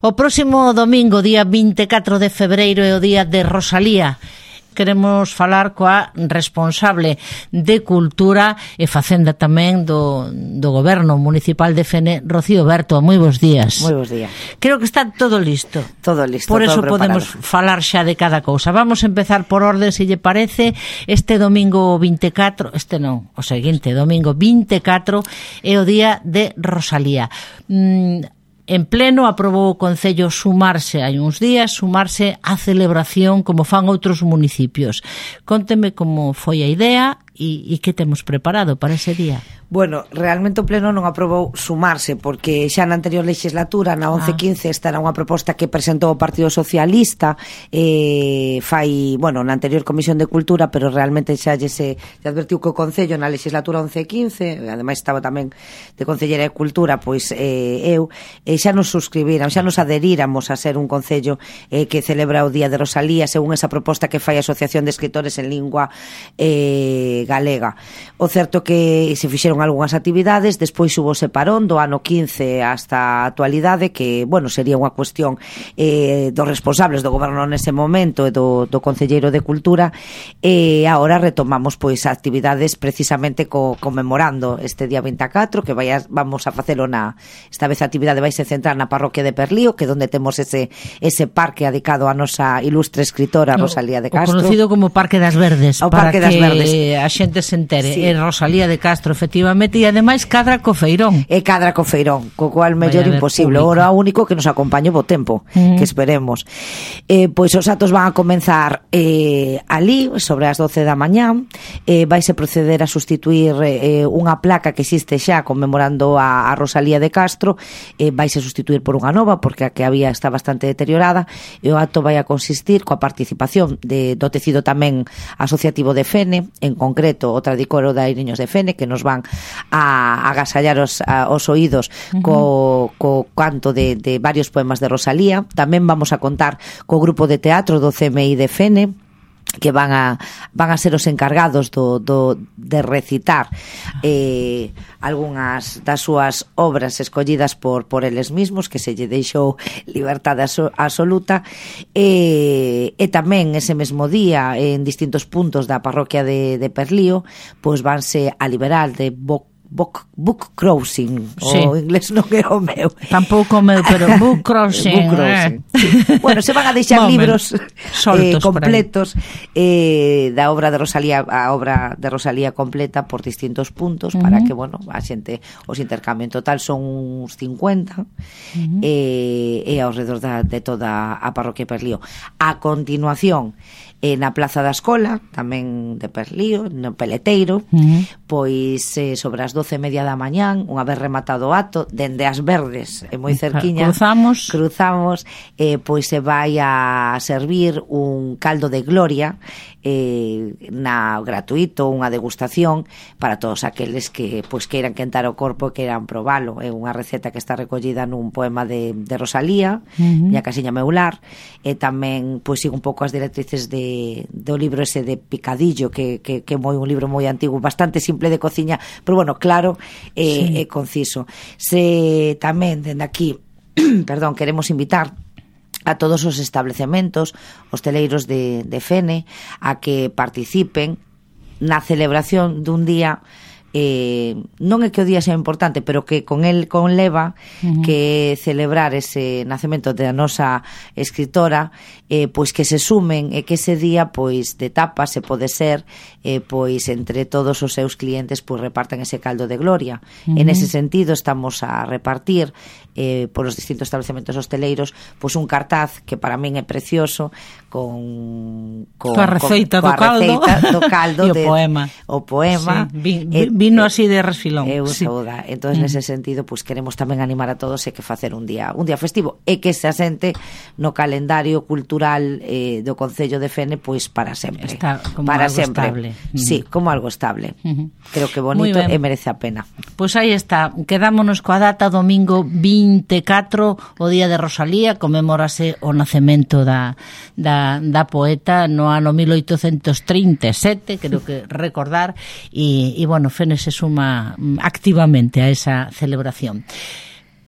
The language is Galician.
O próximo domingo, día 24 de febreiro, é o día de Rosalía. Queremos falar coa responsable de Cultura e Facenda tamén do Goberno Municipal de Fene, Rocío Berto. Moi bons días. Moi bons días. Creo que está todo listo. Todo listo, por eso todo podemos falar xa de cada cousa. Vamos a empezar por orden, se lle parece. Este domingo 24, o seguinte, domingo 24, é o día de Rosalía. En pleno aprobou o Concello hai uns días, sumarse á celebración como fan outros municipios. Conteme como foi a idea e que temos preparado para ese día. Bueno, realmente o Pleno non aprobou sumarse, porque xa na anterior legislatura, na 11-15, esta era unha proposta que presentou o Partido Socialista na anterior Comisión de Cultura, pero realmente xa se advertiu que o Concello na legislatura 11-15, ademais estaba tamén de Concellera de Cultura, pois xa nos suscribiran, xa nos adheríramos a ser un Concello que celebra o Día de Rosalía, según esa proposta que fai a Asociación de Escritores en Lingua Galega. O certo que se fixeron algunhas actividades, despois hubo separón do ano 15 hasta a actualidade, que, sería unha cuestión dos responsables do goberno nese momento e do Concelleiro de Cultura, e agora retomamos pois actividades precisamente conmemorando este día 24, que vamos a facelo esta vez a actividade vai se centrar na parroquia de Perlío, que é onde temos ese parque dedicado a nosa ilustre escritora Rosalía de Castro. O conocido como Parque das Verdes, o Parque das Verdes. A xente se entere. Sí. É Rosalía de Castro, efectivamente, e ademais cadra co Feirón. E cadra co Feirón, co cual mellor imposible. Ora único que nos acompañe bo tempo, que esperemos. Pois os actos van a comenzar ali, sobre as 12 da mañá. Vaise proceder a sustituir unha placa que existe xa conmemorando a Rosalía de Castro. Vaise sustituir por unha nova, porque a que había está bastante deteriorada, e o acto vai a consistir coa participación do tecido tamén asociativo de Fene, en concreto o Tradicoro de Airiños de Fene, que nos van a agasallar os oídos co canto de varios poemas de Rosalía. Tamén vamos a contar co grupo de teatro do CMI de Fene, que van a ser os encargados de recitar algunhas das súas obras escollidas por eles mismos, que se lle deixou liberdade absoluta, e tamén ese mesmo día en distintos puntos da parroquia de Perlío pois vanse a liberar de book crossing, sí. O inglés non é o meu. Tampouco o meu, pero book crossing. Bueno, se van a deixar libros completos da obra de Rosalía, a obra de Rosalía completa por distintos puntos, para que, a xente os intercambio. En total son uns 50 e ao redor de toda a parroquia Perlío. A continuación, na Plaza da Escola, tamén de Perlío, no Peleteiro, pois sobre as 12:30 da mañán, unha vez rematado o acto, dende as Verdes, moi cerquiña, cruzamos, pois se vai a servir un caldo de gloria gratuito, unha degustación para todos aqueles que queiran quentar o corpo e queiran probalo. É unha receta que está recollida nun poema de Rosalía, Miña casiña meular, e tamén sigo un pouco as directrices do libro ese de Picadillo, que é un libro moi antigo, bastante simple de cociña, pero claro, é conciso. Se tamén dende aquí queremos invitar a todos os establecementos hosteleiros de Fene a que participen na celebración dun día, non é que o día sea importante, pero que con el conleva que celebrar ese nacemento da nosa escritora, pois que se sumen, e que ese día de tapa se pode ser entre todos os seus clientes repartan ese caldo de gloria. En ese sentido estamos a repartir por os distintos estabelecementos hosteleiros un cartaz que para min é precioso, coa receita do caldo e o poema, vino así de resfilón. Entón, nese sentido, queremos tamén animar a todos e que facer un día festivo e que se asente no calendario cultural do Concello de Fene para sempre. Está como para algo sempre. Estable. Sí, como algo estable. Creo que bonito e merece a pena. Pois aí está, quedámonos coa data domingo 24, o día de Rosalía, conmemórase o nacemento da poeta no ano 1837, creo que recordar, e Fene se suma activamente a esa celebración.